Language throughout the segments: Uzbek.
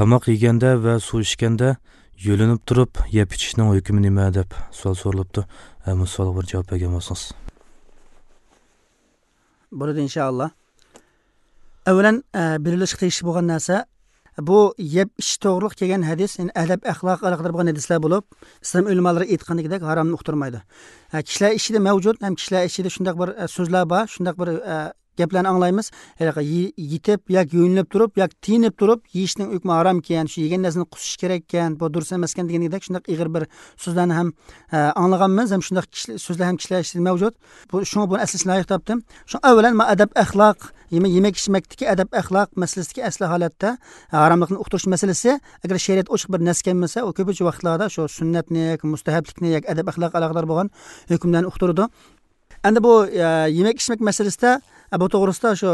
Tomoq yeganda va suv ichganda yo'linib turib yeb ichishning hukmi nima deb savol so'ralibdi. Bu savolga bir javob bergan bo'lsangiz. Bo'ladi inshaalloh. Avvalan bilishga tegishli bo'lgan narsa bu yeb ichish to'g'riliq kelgan hadis, ya'ni adab axloq aloqador bo'lgan hadislar bo'lib, islom ulamolari aytgandek haromni uqtirmaydi. Kishilar ichida mavjud, ham kishilar ichida shundoq bir so'zlar bor, shundoq bir gaplarni anglaymiz. Yetib yoki yo'nilib turib yoki tiyinib turib yeyishning hukmi harom ekan, shu yegan narsani qusish kerak ekan, bu durust emas ekan degandek shundoq ig'ir bir so'zlarni ham anglaganmiz, ham shundoq so'zlar ham kishilar ichida mavjud. Bu shunga buni aslishni loyiq topdim. Shu avvalan ma adab axloq, yemak ichmakdagi adab axloq masalasidagi asli holatda haromlikni uqtirish masalasi, agar shariat ochiq bir nas kelmasa, u ko'pincha vaqtlarda shu sunnatni, mustahablikni yoki adab axloq aloqador bo'lgan hukmlarni uqtiradi. Endi bu yemak ichmak masalasida bu to'g'risida shu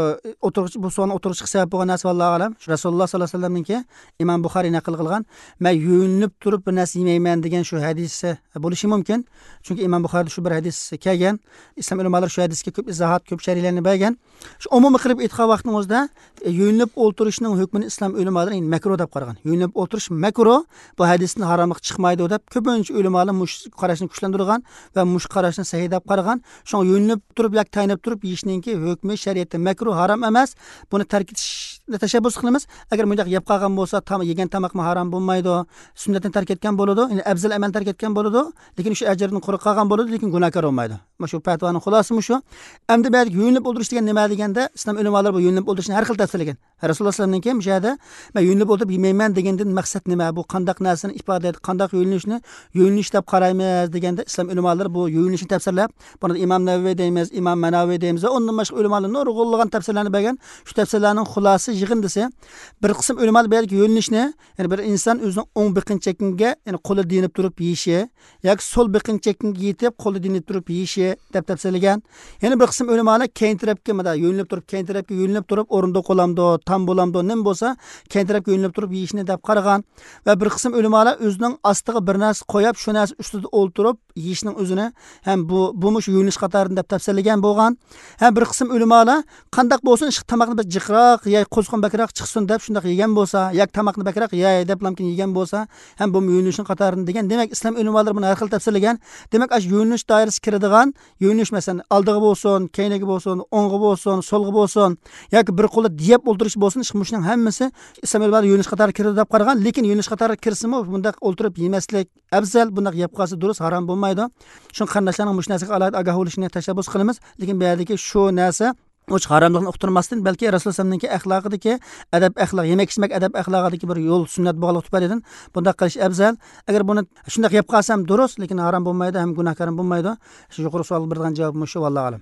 o'tirg'ich, bu savolni o'tirg'ich sabab bo'lgan narsa vallohu alam. Shu Rasululloh sollallohu alayhi vasallamninki Imom Buxoriy naql qilgan, men yuvinib turib bir narsa yemayman degan shu hadisi bo'lishi mumkin. Chunki Imom Buxoriyda shu bir hadis kelgan. Islom ulamolari shu hadisga ko'p izohat, ko'p sharhlarni bergan. Shu umumiy qilib aytgan vaqtning o'zida yuvinib o'ltirishning hukmini islom ulamolari endi makruh deb qaragan. Yuvinib o'ltirish makruh, bu hadisni haromlik chiqmaydi deb ko'pincha ulamolar mush qarashni kuchlantirgan va mush qarashni sahih deb qaragan. Shunga yuvinib turib yoki tayinib turib yeyishningki hukmi shariatda makruh, harom emas. Buni tark etishni tashabbus qilamiz. Agar bunday yeb qolgan bo'lsa, tam yegan tomoqmi harom bo'lmaydi, sunnatni tark etgan bo'ladi, ya'ni afzal amal tark etgan bo'ladi, lekin shu ajrni quruq qolgan bo'ladi, lekin gunohkor bo'lmaydi. Mana shu fatvoning xulosasi shu. Endi bu yuvinib o'ldirish degan nima deganda, islom ulamolari bu yuvinib o'ldirishni har xil tafsirlagan. Rasululloh sollallohu alayhi vasallamning kim shu yerda men yuvinib o'ldirib yemayman degandan maqsad nima? Bu qandaq narsani ifoda etadi, qandaq yuvinishni yuvinish deb qaraymiz deganda islom ulamolari bu yuvinishni tafsirlab, buni Imom Navaviy deymiz, Imom Manaviy deymiz va undan boshqa ulamolar nurg'unlagan tafsirlarni bergan. Shu tafsirlarning xulosasi yig'indisi bir qism ulamolar bergan yuvinishni, ya'ni bir inson o'zining o'ng biqin chekinga, ya'ni qo'li dinib turib yeyishi yoki so'l biqin chekinga yetib qo'li dinib turib yeyishi deb tafsirlagan. Yana bir qism ulamolar keyin tarafga mana yuvinib turib, keyin tarafga yuvinib turib o'rinda qo'lamdi, tam bo'lamdi, nim bo'lsa keyin tarafga yuvinib turib yeyishni deb qaragan. Va bir qism ulamolar o'zining ostiga bir narsa qo'yib, shu narsa ustida o'ltirib yeyishning o'zini ham bu shu yuvinish qatorida deb tafsirlagan bo'lgan. Ham bir qism ulamolar qandaq bo'lsin, shu tomoqni bir jiqroq yey, qo'zqon bakroq chiqsin deb shundoq yegan bo'lsa, yoki tomoqni bakroq yey deb lamkin yegan bo'lsa, ham bu yuvinishning qatorida degan. Demak, islom ulamolari buni har xil tafsirlagan. Demak, ash yuvinish doirasiga kiradigan yuvinish masalan oldiga bo'lsin, keyniga bo'lsin, o'ngga bo'lsin, so'lga bo'lsin yoki bir qo'li diyab o'ltirish bo'lsin, shuning hammasi islom ulamolari yuvinish qatoriga kiradi deb qaragan. Lekin yuvinish qatoriga kirsinmi, bundaq o'ltirib yemaslik afzal, bundaq yeb qolsa durust, harom bo'lmaydi. Shun qarindoshlarning mush narsaga alohida ogoh bo'lishini tashabbus qilamiz. Lekin bu yerdagi shu narsa uch haromlikni uqtirmasdan, balki Rasululloh sollallohu alayhi vasallamning axloqidagi adab axloq, yemak ichmak adab axloqidagi bir yo'l sunnat bog'liq tufaylidan bundaq qilish afzal. Agar buni shundoq yeb qolsam durust, lekin harom bo'lmaydi, ham gunohkor bo'lmaydi. Shu yuqori savol bergan javob shu, vallohu alam.